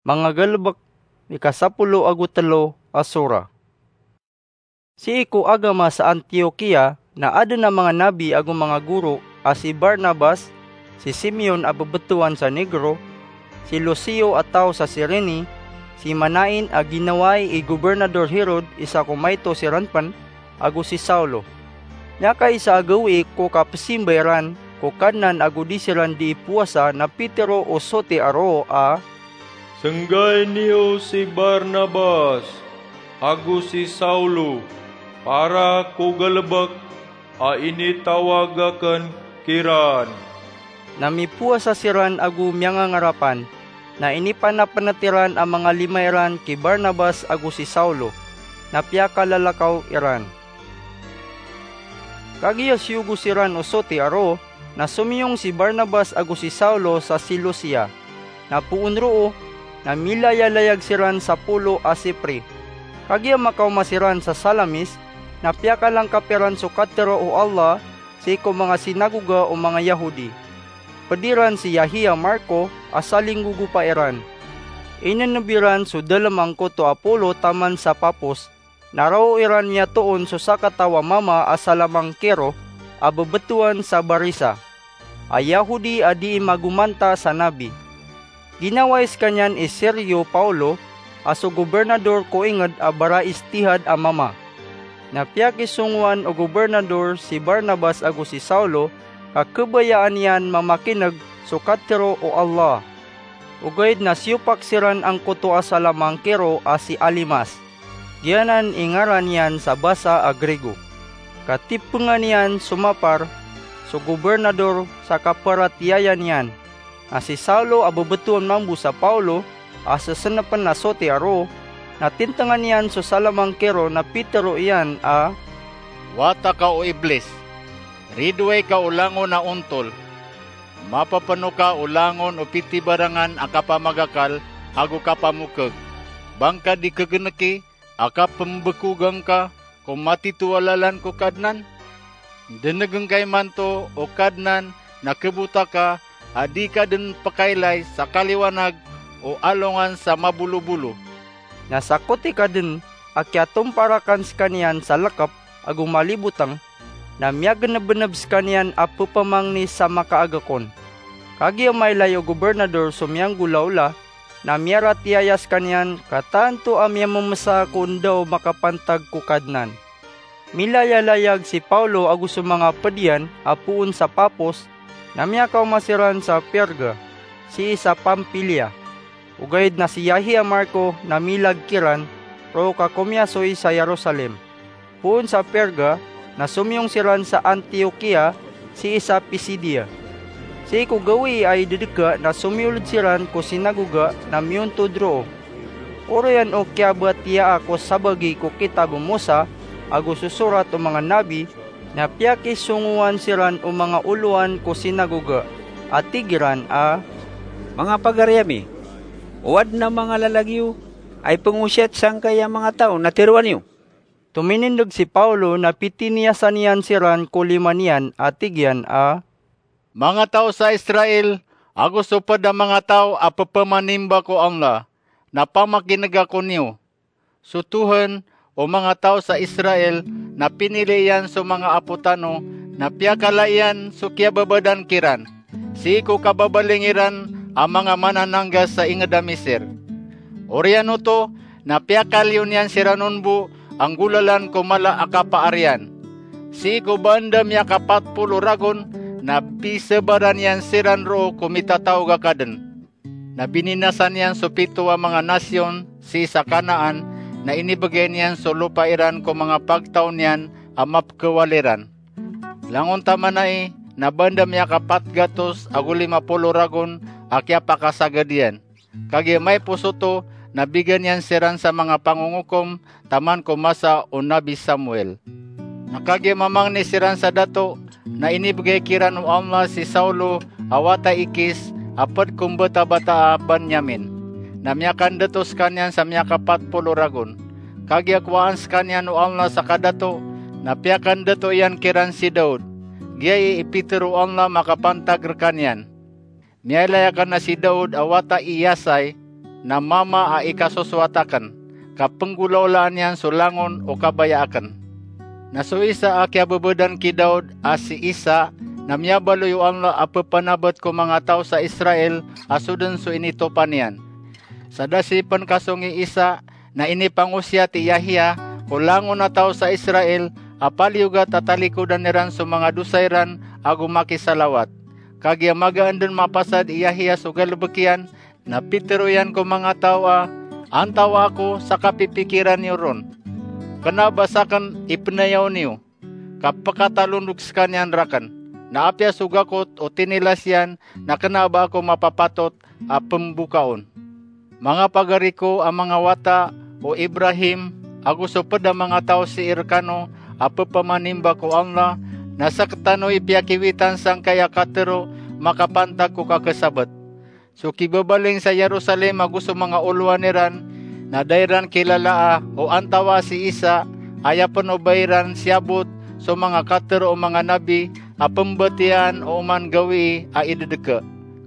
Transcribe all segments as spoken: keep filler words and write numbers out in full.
Manga Galebek, ika sapolo ago telo a sura. Sii ko agama sa Antiokia na aden a manga nabi ago manga goro a si Barnabas, si Simeon a bebetowan sa Negro, si Lucio a taw sa Cirene, si Manaen a ginawai i Gobernador Herod isa ko maito siran pen, ago si Saulo. Miyakaisa a gawii ko kapesimba iran ko Kadnan ago di siran dii powasa na pitero o soti a roo a, "Senggai niyo si Barnabas ago si Saulo para ko galebek a initawag aken kiran." Na mipowasa siran ago miyangangarapan, na inipanapenet iran a manga lima iran ki Barnabas ago si Saulo, na piyakalalakaw iran. Kagiya siyogo siran o soti a roo, na somiyong si Barnabas ago si Saulo sa Seleucia. Na poon roo, na milayalayag siran sa polo a Sipre. Kagiya makaoma siran sa Salamis, na piyakalangkap iran so katero o Allah sii ko manga sinagoga o manga Yahudi. Ped iran si Yahia Marko a salinggogopa iran. Ineneb iran so dalem angkoto a polo taman sa Pafos, na roo iran miyatoon so sakataw a mama a salamangkero a bebetowan sa Barisa, a Yahudi a dii magomanta sa nabi. Ginawai sekaniyan i Sergio Paulo a so gobernador ko inged a baraistihad a mama. Na piyakisongowan o gobernador si Barnabas ago si Saulo ka kebayaan iyan mamakineg so katero o Allah. Ogaid na siyopak siran angkoto a salamangkero a si Alimas, giyanan i ngaran iyan sa basa a Grego, ka tipengan iyan so mapar so gobernador sa kaparatiyayan iyan. Na si Saulo a bebetowan mambo sa Paulo a sesenepen a soti a roo, na tintengan iyan so salamangkero na pitero iyan a, "Wata ka o Iblis! Ridoay ka o langon a ontol! Mapepeno ka o langon o pitibarangan a kapamagakal ago kapamokeg, bangka di kegeneki a kapembekogan ka ko matito a lalan ko Kadnan? Denegen ka imanto, o Kadnan, na kebota ka a di ka den pekailay sa kaliwanag o alongan sa mabolobolo." Na sakoti ka den a kiyatomparakan sekaniyan sa lekep ago maliboteng, na miyagenebeneb sekaniyan a pepamangni sa makaagakon. Kagiya mailay o gobernador so miyanggolaola, na miyaratiyaya sekaniyan ka tanto a miyamemesa ko enda o makapantag ko Kadnan. Milayalayag si Paulo ago so manga ped iyan a poon sa Pafos, na miyakaoma siran sa Perga, sii sa Pamfilia. Ogaid na si Yahia Marko na milag kiran roo ka komiyasoy sa Jerusalem. Poon sa Perga, na somiyong siran sa Antiokia sii sa Pisidia. Sii ko gawii a idedeka na somiyold siran ko sinagoga na miyontod roo. Oriyan o kiyabatiyaa ko sabagi ko kitab o Mosa ago so sorat o manga nabi, na piyakisongowan siran o manga olowan ko sinagoga, a tig iran a, "Manga pagari ami, o aden a manga lalagiyo a ipengosiyat sangkaya manga taw na teroa niyo." Tominindeg si Paulo na pitiniyasan iyan siran ko lima niyan a tig iyan a, "Manga taw sa Israel, ago so ped a manga taw a pepamanimba ko Allah, na pamakinega ko niyo. So Tohan o manga taw sa Israel na pinili iyan so manga apo tano, na piyakala iyan so kiyababadan kiran sii ko kababaling iran a manga manananggas sa inged a Misir. Oriyan oto, na piyakaliyo niyan siran on bo a nggolalan ko mala a kapaariyan. Sii ko ba anda miyakapat polo ragon, na pisebaran iyan siran roo ko mitataog a kaden. Na bininasan iyan so pito a manga nasiyon sii sa Kanaan, na inibegay niyan so lopa iran ko manga pagtaw niyan a mapekewal iran. Langon taman ai, na ba anda miyakapat gatos ago lima polo ragon a kiyapakasagad iyan. Kagiya maipos oto, na bigan iyan siran sa manga pangongokom taman ko masa o Nabi Samuel. Na kagiya mamangni siran sa dato, na inibegay kiran o Allah si Saulo a wata i Kis a ped ko mbatabataa a Benyamin. Na miyakandato sekaniyan sa miyakapat polo ragon. Kagiya kowaan sekaniyan o Allah sa kadato, na piyakandato iyan kiran si Daud. Giyai i pitero o Allah makapantag rekaniyan. Miyailay aken a si Daud a wata i Yisai, na mama a ikasosowat aken, ka penggolawlaan iyan so langon o kabaya aken. Na so isa a kiyabebedan ki Daud a si Isa, na miyabaloy o Allah a pepanabet ko manga taw sa Israel a soden so initopan iyan. Sa da sii pen kasong i Isa, na inipangosiyat i Yahya, ko langon a taw sa Israel, a paliyogat a talikodan iran so manga dosa iran ago makisalawat. Kagiya magaan den mapasad i Yahya so galebek iyan, na pitero iyan ko manga taw a, "Antawaa ako sa kapipikiran iyo ron? Kena ba saken i penayaw niyo, ka pekatalondog sekaniyan raken? Na apiya so gakot o tinilas iyan, na kena ba ako mapapatot a pembokaon? Manga pagari ko a manga wata o Ibrahim ago so ped a manga taw sii rekano a pepamanimba ko Allah, na sekitano i piyakiwitan sangkai a katero makapantag ko kakesabet. So kibabaling sa Jerusalem ago so manga olowan iran, na da iran kilalaa o antawaa si Isa, aya pen o ba iran siyabot so manga katero o manga nabi a pembatiyaan o oman gawii a idedeke.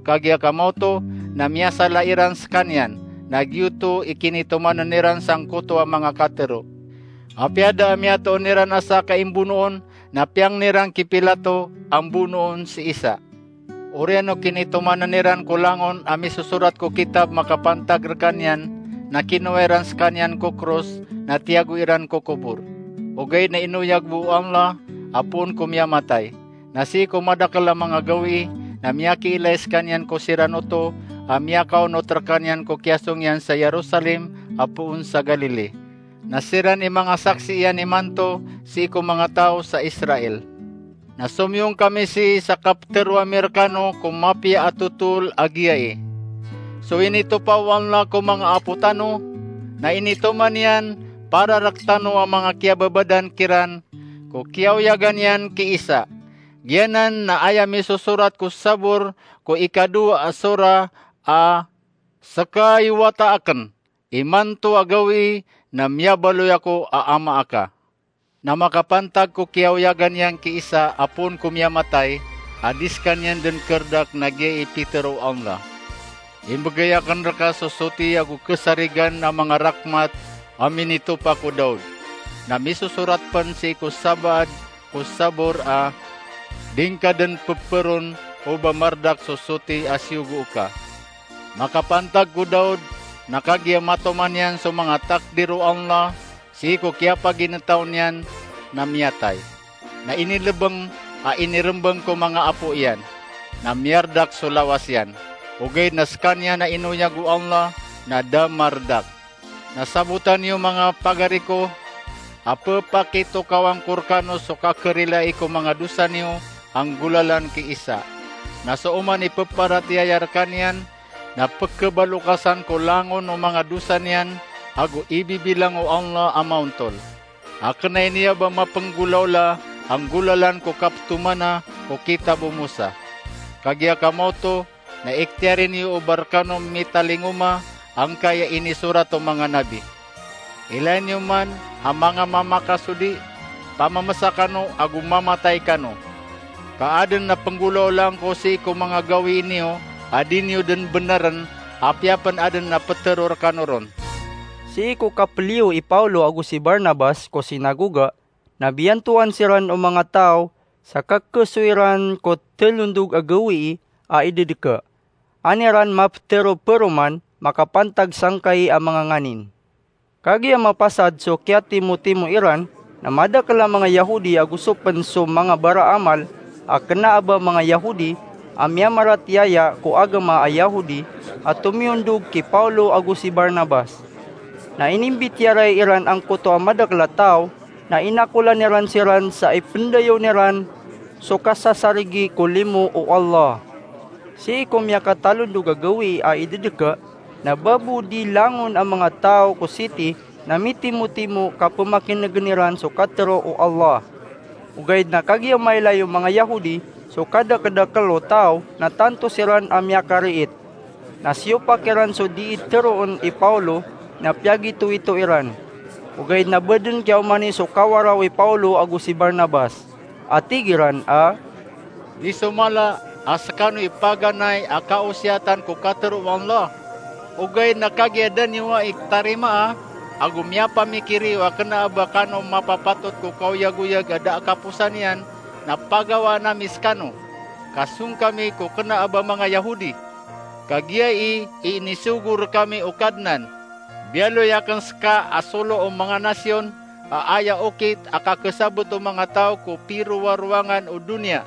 Kagiya kamaoto, na miyasala iran sekaniyan, na giyoto i kinitomanen iran sangkoto a manga katero." Apiya da a miyatoon iran a sa kaimbonoon, na piyangni ran ki Pilato a mbonoon si Isa. Oriyan o kinitomanen iran ko langon a misosorat ko kitab makapantag rekaniyan, na kinowa iran sekaniyan ko kros, na tiyago iran ko kobor. Ogaid na inoyag bo o Allah a poon ko miyamatay. Na sii ko madakel a manga gawii, na miyakiilay sekaniyan ko siran oto a miyakaonot rekaniyan ko kiyasong iyan sa Jerusalem a poon sa Galili. Na siran i manga saksi iyan imanto sii ko manga taw sa Israel. Na somiyong kami sii sa kapetero ami rekano ko mapiya a totol a giyai. So initopa o Allah ko manga apo tano, na initoman iyan para rektano a manga kiyababadan kiran ko kiyaoyagan iyan ki Isa. Giyanan na aya misosorat ko Sabor ko ikadowa a sora a, "Seka i wata aken, imanto a gawii na miyabaloy ako a ama aka." Na makapantag ko kiyaoyagan iyan ki Isa a poon ko miyamatay, a di sekaniyan den kerdak na giyai pitero o Allah. Imbegay aken reka so soti ago kesarigan a manga rakmat a minitopa ko Daud. Na misosorat pen sii ko sabaad ko Sabor a, "Di ngka den peperon o ba mardak so soti a siyogo oka." Makapantag ko Daud, na kagiya matoman iyan so manga takdir o Allah sii ko kiyapaginetaw niyan, na miyatay. Na inilebeng a inirembeng ko manga apo iyan, na miyardak so lawas iyan. Ogaid na sekaniyan a inoyag o Allah na da mardak. Na sabotan iyo, manga pagari ko, a pepakitokawan ko rekano so kakerilai ko manga dosa niyo a nggolalan ki Isa. Na so oman i peparatiyaya rekaniyan, na pekebalokasan ko langon o manga dosa niyan, ago ibibilang o Allah a maontol. A kenai niya ba mapenggolawla a nggolalan ko kapetomana ko kitab o Mosa. Kagiya kamaoto, na ikhtiyari niyo o ba rekano mitalingoma angkaya inisorat o manga nabi. Ilay niyo man a manga mamakasodi, pamamesa kano ago mamatay kano. Ka aden a penggolawlaan ko sii ko manga gawii niyo a di niyo den beneren, apiya pen aden a petero rekano ron. Sii ko kapeliyo i Pawlo ago si Barnabas ko sinagoga, na biyantoan siran o manga taw sa kakesoy ran ko telondog a gawii a idedeke. An iran mapetero peroman makapantag sangkai a manga nganin. Kagiya mapasad so kiyatimotimo iran, na madakel a manga Yahudi ago so pen so manga baraamal a kena a ba manga Yahudi a miyamaratiyaya ko agama a Yahudi a tomiyondog ki Pawlo ago si Barnabas. Na inimbitiyarai iran angkoto a madakel a taw, na inakolan iran siran sa ipendayawn iran so kasasarigi ko limo o Allah. Sii ko miyakatalondog a gawii a idedeke, na babo di langon a manga taw ko siti na mitimotimo ka pemakinegen iran so katero o Allah. Ogaid na kagiya mailay o manga Yahudi so kadekedekel o taw, na tanto siran a miyakariit. Na siyopak iran so dii teroon i Pawlo, na piyagitowito iran. Ogaid na ba den kiyaomani so kawaraw i Pawlo ago si Barnabas, a tig iran a, "Di so mala a sekano i paganay a kaosiyatan ko katero o Allah?" Ogaid na kagiya da niyo ai tarimaa, ago miyapamikir iyo a kena a ba kano mapapatot ko kaoyagoyag a da a kaposan iyan, na pagawaan ami sekano, ka song kami ko kena a ba manga Yahudi. Kagiya i, i inisogo rekami o Kadnan. Biyaloy aken seka a solo o manga nasiyon a aya okit a kakesabet o manga taw ko pirowarowangan o doniya.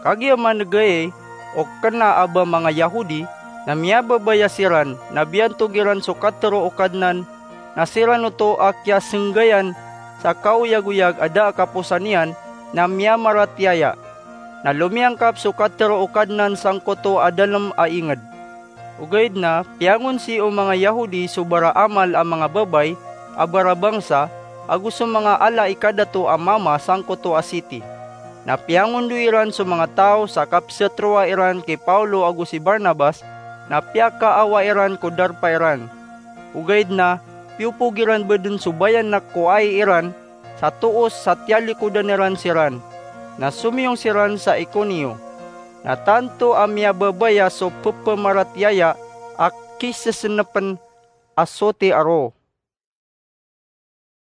Kagiya manegayay o kena a ba manga Yahudi, na miyababaya siran, na biyantog iran so katero o Kadnan, na siran oto a kiyasenggayan sa kaoyagoyag a da a kaposan iyan, na miyamaratiyaya. Na lomiyangkap so katero o Kadnan sangkoto a dalem a inged. Ogaid na piyangonsi o manga Yahudi so baraamal a manga babay a barabangsa ago so manga ala i kadato a mama sangkoto a siti. Na piyangondoy iran so manga taw sa kapesetroa iran ki Paulo ago si Barnabas, na piyakaawa iran ko darpa iran. Ogaid na piyopog iran bo den so bayanak ko ai iran sa toos sa tiyalikodan iran siran, na somiyong siran sa Iconio. Na tanto a miyababaya so pepamaratiyaya a kisesenepen a soti a roo.